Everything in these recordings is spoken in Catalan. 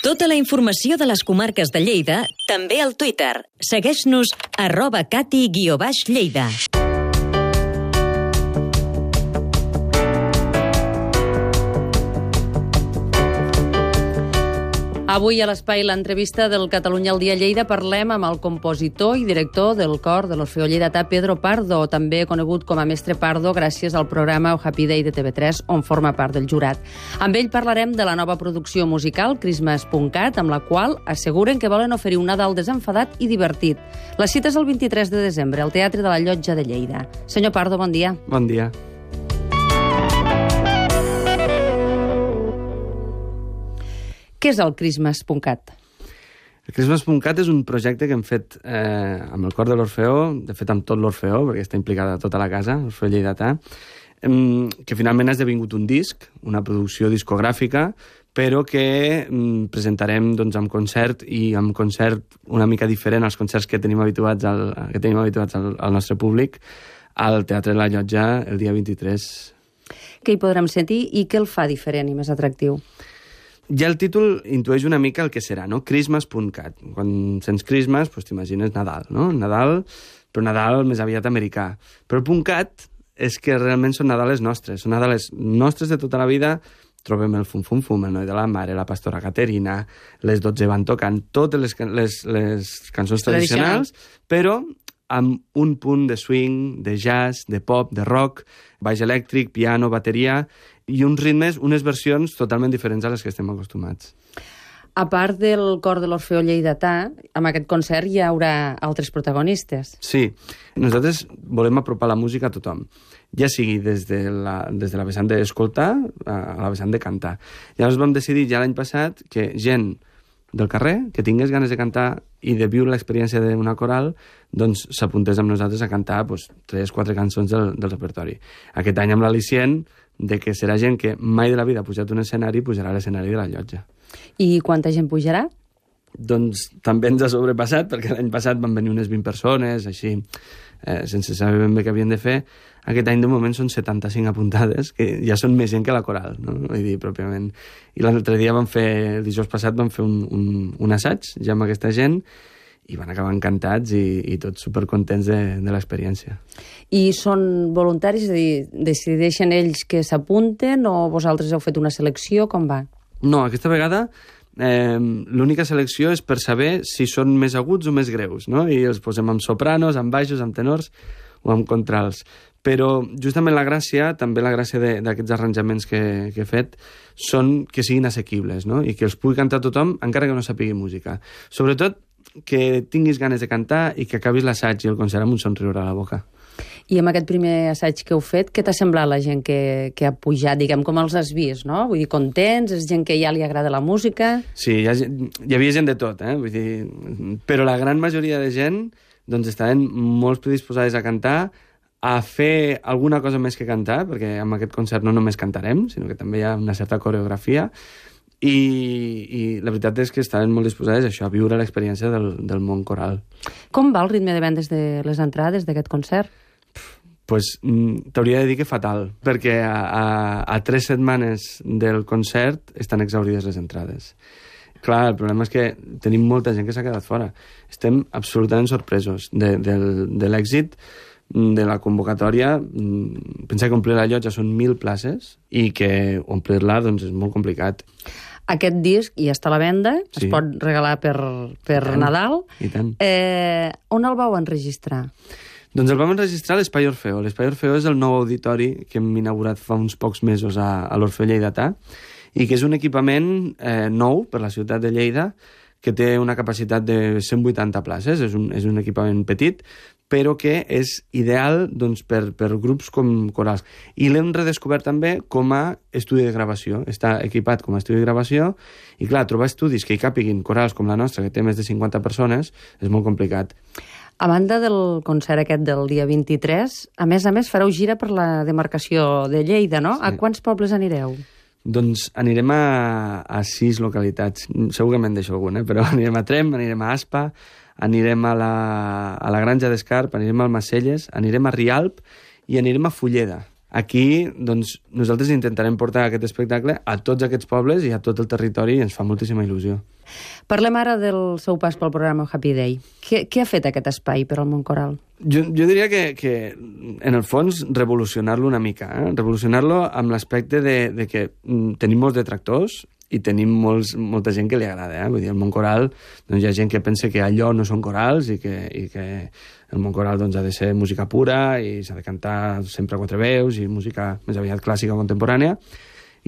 Tota la informació de les comarques de Lleida, també al Twitter. Segueix-nos @cati_lleida. Avui a l'Espai l'entrevista del Catalunya al Dia Lleida parlem amb el compositor i director del cor de l'Orfeó Lleidatà, Pedro Pardo, també conegut com a Mestre Pardo gràcies al programa Oh Happy Day de TV3, on forma part del jurat. Amb ell parlarem de la nova producció musical, Christmas.cat, amb la qual asseguren que volen oferir un Nadal desenfadat i divertit. La cita és el 23 de desembre, al Teatre de la Llotja de Lleida. Senyor Pardo, bon dia. Bon dia. Què és el Christmas.cat? El Christmas.cat és un projecte que hem fet amb el cor de l'Orfeó, de fet amb tot l'Orfeó, perquè està implicada tota la casa, l'Orfeó Lleidatà, que finalment ha esdevingut un disc, una producció discogràfica, però que presentarem amb concert, i amb concert una mica diferent als concerts que tenim habituats al nostre públic, al Teatre de la Llotja el dia 23. Què hi podrem sentir i què el fa diferent i més atractiu? Ja el títol intueix una mica el que serà, no? Christmas.cat. Quan sents Christmas, doncs t'imagines Nadal, no? Nadal, però Nadal més aviat americà. Però el .cat és que realment són Nadales nostres. Són Nadales nostres de tota la vida. Trobem el fum-fum-fum, el noi de la mare, la pastora Caterina, les 12 van tocant totes les cançons tradicionals, però amb un punt de swing, de jazz, de pop, de rock, baix elèctric, piano, bateria, i uns ritmes, unes versions totalment diferents a les que estem acostumats. A part del cor de l'Orfeó Lleidatà, amb aquest concert hi haurà altres protagonistes. Sí, nosaltres volem apropar la música a tothom, ja sigui des de la vessant d'escoltar a la vessant de cantar. Llavors vam decidir ja l'any passat que gent del carrer, que tingués ganes de cantar i de viure l'experiència d'una coral, doncs s'apuntés amb nosaltres a cantar 3-4 cançons del repertori. Aquest any amb l'al·licient de que serà gent que mai de la vida ha pujat un escenari, pujarà a l'escenari de la Llotja. I quanta gent pujarà? Doncs també ens ha sobrepassat, perquè l'any passat van venir unes 20 persones, així, sense saber ben bé què havien de fer. Aquest any, de moment, són 75 apuntades, que ja són més gent que la coral, no? Vull dir, pròpiament. I l'altre dia el dijous passat, vam fer un assaig, ja amb aquesta gent, i van acabar encantats i tots supercontents de l'experiència. I són voluntaris? És a dir, decideixen ells que s'apunten o vosaltres heu fet una selecció? Com va? No, aquesta vegada l'única selecció és per saber si són més aguts o més greus, no? I els posem amb sopranos, amb baixos, amb tenors o amb contrals. Però justament la gràcia d'aquests arranjaments que he fet són que siguin assequibles, no? I que els pugui cantar tothom, encara que no sàpigui música. Sobretot que tinguis ganes de cantar i que acabis l'assaig i el concert amb un somriure a la boca. I amb aquest primer assaig que heu fet, què t'ha semblat la gent que ha pujat? Diguem, com els has vist, no? Vull dir, contents? És gent que ja li agrada la música? Sí, hi havia gent de tot, vull dir, però la gran majoria de gent doncs estaven molt predisposades a cantar, a fer alguna cosa més que cantar, perquè amb aquest concert no només cantarem, sinó que també hi ha una certa coreografia, i la veritat és que estaven molt disposades a això, a viure l'experiència del món coral. Com va el ritme de vendes de les entrades d'aquest concert? Pues t'hauria de dir que fatal, perquè a 3 setmanes del concert estan exaurides les entrades. Clar, el problema és que tenim molta gent que s'ha quedat fora. Estem absolutament sorpresos de l'èxit de la convocatòria. Pensar que omplir la Llotja són 1.000 places i que omplir-la doncs, és molt complicat. Aquest disc ja està a la venda, sí. Es pot regalar per Nadal. I tant. On el vau enregistrar? Doncs el vam enregistrar a l'Espai Orfeó. L'Espai Orfeó és el nou auditori que hem inaugurat fa uns pocs mesos a l'Orfeó Lleidatà i que és un equipament nou per la ciutat de Lleida que té una capacitat de 180 places. És un equipament petit, però que és ideal doncs, per grups com corals. I l'hem redescobert també com a estudi de gravació. Està equipat com a estudi de gravació i, clar, trobar estudis que hi càpiguin corals com la nostra, que té més de 50 persones, és molt complicat. A banda del concert aquest del dia 23, a més fareu gira per la demarcació de Lleida, no? Sí. A quants pobles anireu? Doncs anirem a 6 localitats. Segurament deixo algun, però anirem a Tremp, anirem a Aspa, anirem a la Granja d'Escarp, anirem al Macelles, anirem a Rialp i anirem a Fulleda. Aquí, doncs, nosaltres intentarem portar aquest espectacle a tots aquests pobles i a tot el territori i ens fa moltíssima il·lusió. Parlem ara del seu pas pel programa Happy Day. Què ha fet aquest espai per al món coral? Jo diria que, en el fons, revolucionar-lo una mica. Revolucionar-lo amb l'aspecte de que tenim molts detractors i tenim molta gent que li agrada. Vull dir, el món coral, doncs, hi ha gent que pensa que allò no són corals i que el món coral doncs, ha de ser música pura i s'ha de cantar sempre a quatre veus i música més aviat clàssica o contemporània.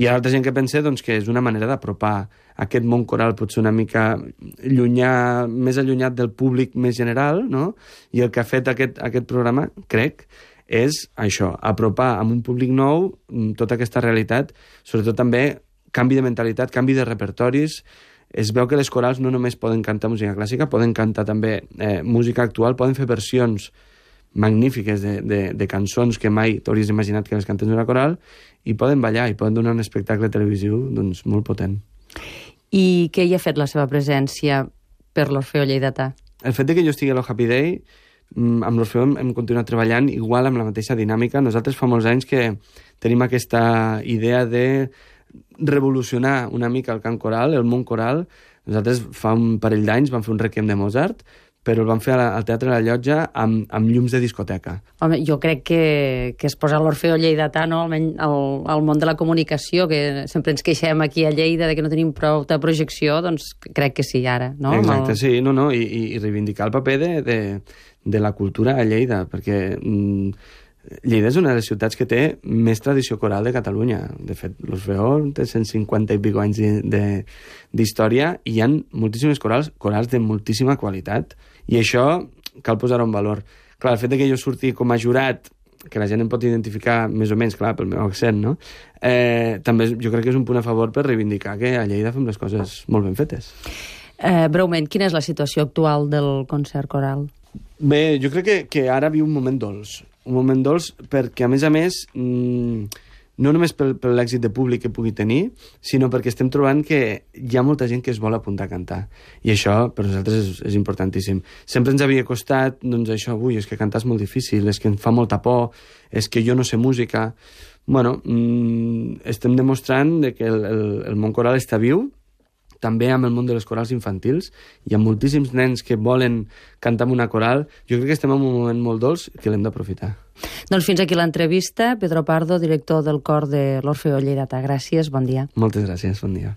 Hi ha altra gent que pensa doncs, que és una manera d'apropar aquest món coral potser una mica més allunyat del públic més general, no? I el que ha fet aquest programa, crec, és això, apropar amb un públic nou tota aquesta realitat, sobretot també canvi de mentalitat, canvi de repertoris. Es veu que les corals no només poden cantar música clàssica, poden cantar també música actual, poden fer versions magnífiques de cançons que mai t'hauries imaginat que les cantés una coral, i poden ballar i poden donar un espectacle televisiu doncs, molt potent. I què hi ha fet la seva presència per l'Orfeó Lleidatà? El fet que jo estigui a l'Happy Day, amb l'Orfeó hem continuat treballant igual amb la mateixa dinàmica. Nosaltres fa molts anys que tenim aquesta idea de revolucionar una mica el cant coral, el món coral. Nosaltres fa un parell d'anys vam fer un requiem de Mozart, però el vam fer al Teatre La Llotja amb llums de discoteca. Home, jo crec que es posa l'Orfeó Lleidatà, no? Almenys al món de la comunicació, que sempre ens queixem aquí a Lleida de que no tenim prou de projecció, doncs crec que sí, ara, no? Exacte, sí, i reivindicar el paper de la cultura a Lleida, perquè Lleida és una de les ciutats que té més tradició coral de Catalunya. De fet, l'Orfeó té 150 i pico anys d'història i hi ha moltíssimes corals de moltíssima qualitat. I això cal posar-ho en valor. Clar, el fet que jo surti com a jurat, que la gent em pot identificar més o menys, clar, pel meu accent, no? També jo crec que és un punt a favor per reivindicar que a Lleida fem les coses molt ben fetes. Breument, quina és la situació actual del concert coral? Bé, jo crec que ara viu un moment dolç. Un moment dolç perquè, a més, no només per l'èxit de públic que pugui tenir, sinó perquè estem trobant que hi ha molta gent que es vol apuntar a cantar. I això per nosaltres és importantíssim. Sempre ens havia costat, doncs això, és que cantar és molt difícil, és que em fa molta por, és que jo no sé música. Bueno, estem demostrant que el món coral està viu, també amb el món de les corals infantils. Hi ha moltíssims nens que volen cantar amb una coral. Jo crec que estem en un moment molt dolç que l'hem d'aprofitar. Doncs fins aquí l'entrevista. Pedro Pardo, director del cor de l'Orfeó Lleidatà. Gràcies, bon dia. Moltes gràcies, bon dia.